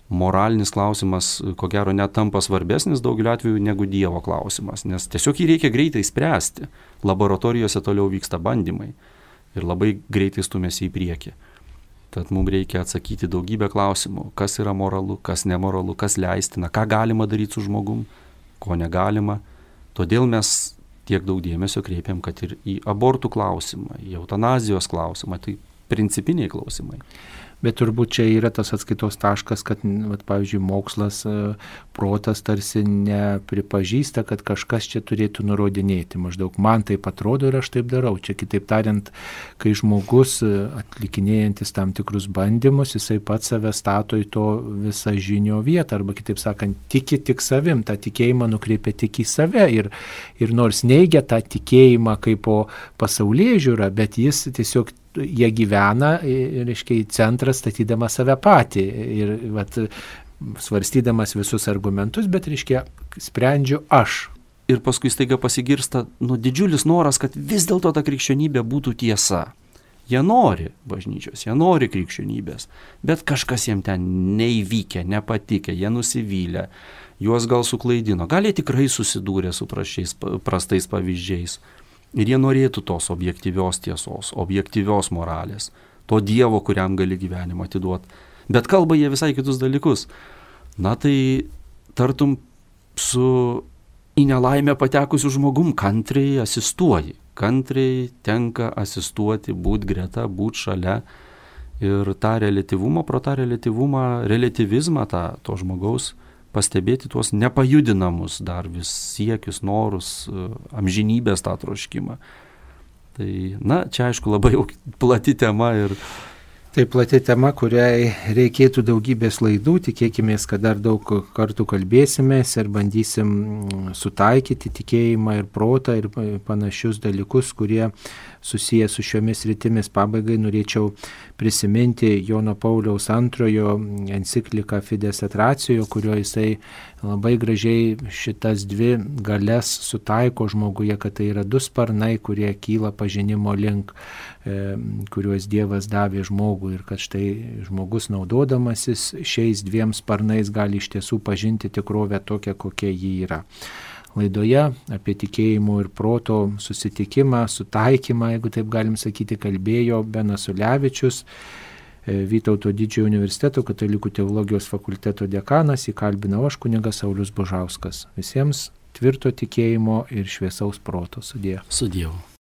moralinis klausimas, ko gero net tampa svarbesnis daugeliu atveju negu Dievo klausimas, nes tiesiog jį reikia greitai spręsti. Laboratorijose toliau vyksta bandymai ir labai greitai stumėsi į priekį. Tad mums reikia atsakyti daugybę klausimų, kas yra moralu, kas nemoralu, kas leistina, ką galima daryti su žmogum, ko negalima. Todėl mes tiek daug dėmesio kreipiam, kad ir į abortų klausimą, į eutanazijos klausimą, tai principiniai klausimai. Bet turbūt čia yra tas atskaitos taškas, kad, vat, pavyzdžiui, mokslas, protas tarsi nepripažįsta, kad kažkas čia turėtų nurodinėti. Maždaug man taip atrodo ir aš taip darau. Čia kitaip tariant, kai žmogus atlikinėjantis tam tikrus bandymus, jisai pats save stato į to visą žinio vietą, arba kitaip sakant, tiki tik savim, tą tikėjimą nukreipia tik į save ir, ir nors neigia tą tikėjimą kaip po pasaulėžiūrą, bet jis tiesiog jie gyvena, reiškia, į centrą statydama save patį ir vat, svarstydamas visus argumentus, bet, reiškia, sprendžiu aš. Ir paskui staiga pasigirsta nu, didžiulis noras, kad vis dėlto ta krikščionybė būtų tiesa. Jie nori bažnyčios, jie nori krikščionybės, bet kažkas jiem ten neįvykę, nepatikė, jie nusivylė, juos gal suklaidino, gal jie tikrai susidūrė su prašiais, prastais pavyzdžiais. Ir jie norėtų tos objektyvios tiesos, objektyvios moralės, to Dievo, kuriam gali gyvenimą atiduoti. Bet kalba jie visai kitus dalykus. Na tai tartum su į nelaimę patekusių žmogum kantriai asistuoji. Kantriai tenka asistuoti, būti greta, būti šalia. Ir tą relatyvumą, pro tą relatyvumą, relatyvizmą tą, to žmogaus pastebėti tuos nepajudinamus dar vis siekius, norus, amžinybės tą troškimą. Tai, na, čia aišku labai jau plati tema ir Tai plati tema, kuriai reikėtų daugybės laidų, tikėkime, kad dar daug kartų kalbėsimės ir bandysim sutaikyti tikėjimą ir protą ir panašius dalykus, kurie susiję su šiomis rytimis. Pabaigai norėčiau prisiminti Jono Pauliaus antrojo encikliką Fides et Ratio, kurio jisai labai gražiai šitas dvi galias sutaiko žmoguje, kad tai yra du sparnai, kurie kyla pažinimo link, e, kuriuos Dievas davė žmogui ir kad štai žmogus naudodamasis šiais dviem sparnais gali iš tiesų pažinti tikrovę tokią, kokia ji yra. Laidoje apie tikėjimo ir proto susitikimą, sutaikymą, jeigu taip galim sakyti, kalbėjo Benas Ulevičius, Vytauto Didžiojo universiteto katalikų teologijos fakulteto dekanas, įkalbinau aš kunigas Saulius Bužauskas. Visiems tvirto tikėjimo ir šviesaus proto. Sudie. Sudievu.